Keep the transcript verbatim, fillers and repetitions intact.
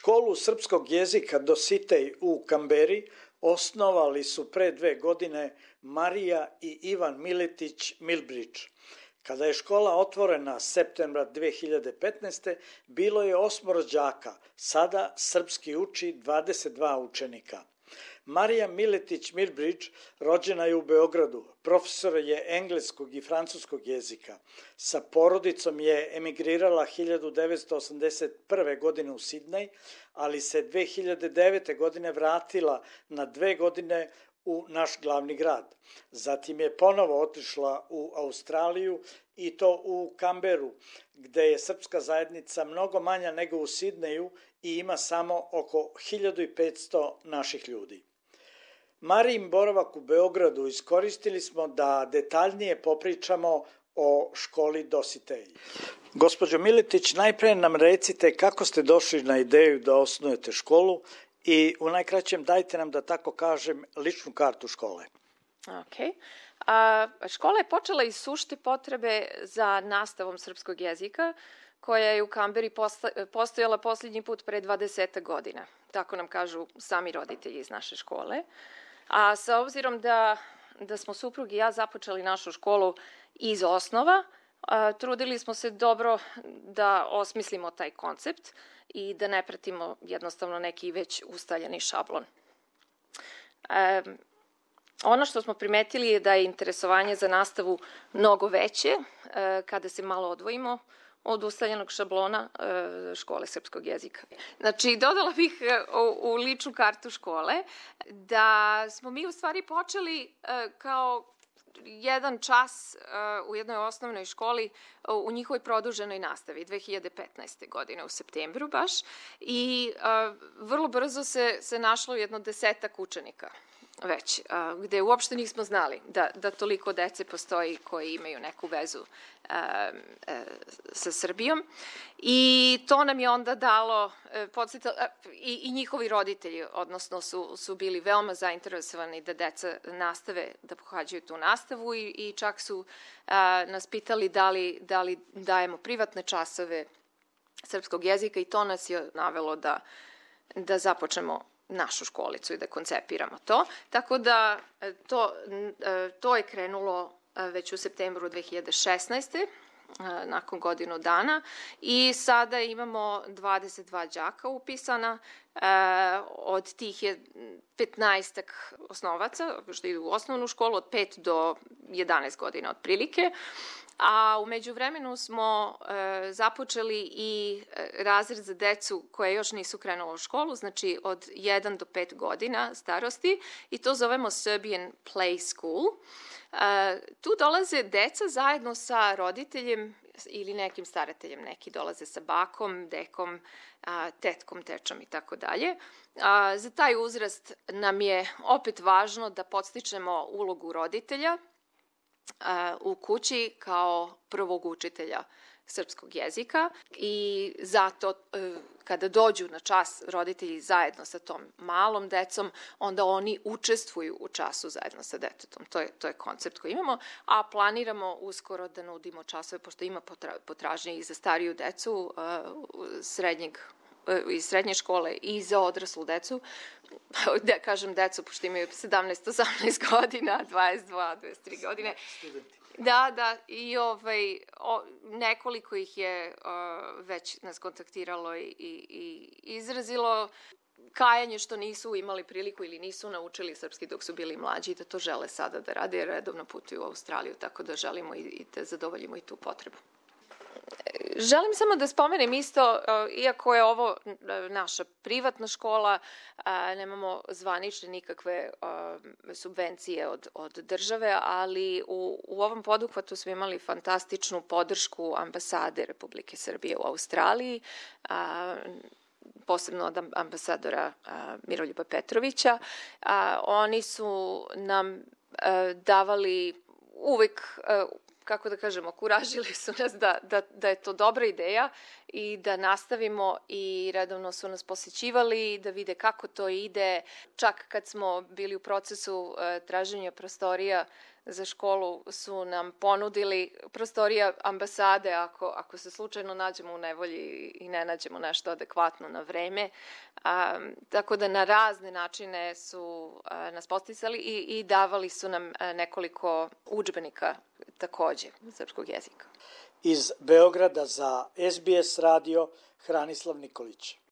Školu srpskog jezika Dositej u Kamberi osnovali su pre dve godine Marija i Ivan Miletić Milbrić. Kada je škola otvorena septembra dve hiljade petnaeste. bilo je osmoro đaka, sada srpski uči dvadeset dva učenika. Marija Miletić Milbrić rođena je u Beogradu, profesor je engleskog i francuskog jezika. Sa porodicom je emigrirala hiljadu devetsto osamdeset prve. godine u Sidnej, ali se dve hiljade devete. godine vratila na dve godine u naš glavni grad. Zatim je ponovo otišla u Australiju i to u Kamberu, gde je srpska zajednica mnogo manja nego u Sidneju i ima samo oko hiljadu petsto naših ljudi. Marijin boravak u Beogradu iskoristili smo da detaljnije popričamo o školi Dositej. Gospođo Miletić, najpre nam recite kako ste došli na ideju da osnujete školu i u najkraćem dajte nam, da tako kažem, ličnu kartu škole. Ok. A, škola je počela iz sušte potrebe za nastavom srpskog jezika, koja je u Kamberi postojala posljednji put pre dvadeset godina. Tako nam kažu sami roditelji iz naše škole. A sa obzirom da, da smo suprug i ja započeli našu školu iz osnova, a, trudili smo se dobro da osmislimo taj koncept i da ne pratimo jednostavno neki već ustaljeni šablon. E, ono što smo primetili je da je interesovanje za nastavu mnogo veće e, kada se malo odvojimo od ustaljenog šablona e, škole srpskog jezika. Znači, dodala bih u, u ličnu kartu škole da smo mi u stvari počeli e, kao jedan čas uh, u jednoj osnovnoj školi uh, u njihovoj produženoj nastavi dve hiljade petnaeste. godine u septembru baš i uh, vrlo brzo se, se našlo jedno desetak učenika već, uh, gde uopšte nismo znali da, da toliko dece postoji koji imaju neku vezu uh, uh, sa Srbijom i to nam je onda dalo uh, podsjetalo, uh, i, i njihovi roditelji, odnosno su, su bili veoma zainteresovani da deca nastave da pohađaju tu nastavu i, i čak su uh, nas pitali da li, da li dajemo privatne časove srpskog jezika i to nas je navelo da, da započnemo našu školicu i da koncepiramo to. Tako da to, to je krenulo već u septembru dve hiljade šesnaeste. nakon godinu dana i sada imamo dvadeset dva đaka upisana, od tih je petnaestak osnovaca, što idu u osnovnu školu, od pet do jedanaest godina otprilike, a u međuvremenu smo e, započeli i razred za decu koje još nisu krenula u školu, znači od jedan do pet godina starosti, i to zovemo Serbian Play School. E, tu dolaze deca zajedno sa roditeljem ili nekim starateljem, neki dolaze sa bakom, dekom, a, tetkom, tečom i tako dalje. Za taj uzrast nam je opet važno da podstičemo ulogu roditelja u kući kao prvog učitelja srpskog jezika i zato kada dođu na čas roditelji zajedno sa tom malom decom, onda oni učestvuju u času zajedno sa detetom. To je, to je koncept koji imamo, a planiramo uskoro da nudimo časove, pošto ima potražnje i za stariju decu srednjeg iz srednje škole i za odraslu decu, da kažem decu, pošto imaju sedamnaest osamnaest godina, dvadeset dva dvadeset tri godine. Da, da, i ovaj, o, nekoliko ih je o, već nas kontaktiralo i, i, i izrazilo kajanje što nisu imali priliku ili nisu naučili srpski dok su bili mlađi i da to žele sada da rade, jer redovno putuju u Australiju, tako da želimo i, i da zadovoljimo i tu potrebu. Želim samo da spomenem isto, iako je ovo naša privatna škola, nemamo zvanične nikakve subvencije od, od države, ali u, u ovom poduhvatu smo imali fantastičnu podršku ambasade Republike Srbije u Australiji, posebno od ambasadora Miroljuba Petrovića. Oni su nam davali uvek, kako da kažemo, kuražili su nas da, da, da je to dobra ideja i da nastavimo, i redovno su nas posećivali da vide kako to ide. Čak kad smo bili u procesu uh, traženja prostorija za školu su nam ponudili prostorija ambasade ako, ako se slučajno nađemo u nevolji i ne nađemo nešto adekvatno na vreme. A, tako da na razne načine su a, nas posticali i, i davali su nam a, nekoliko udžbenika takođe srpskog jezika. Iz Beograda za S B S radio Hranislav Nikolić.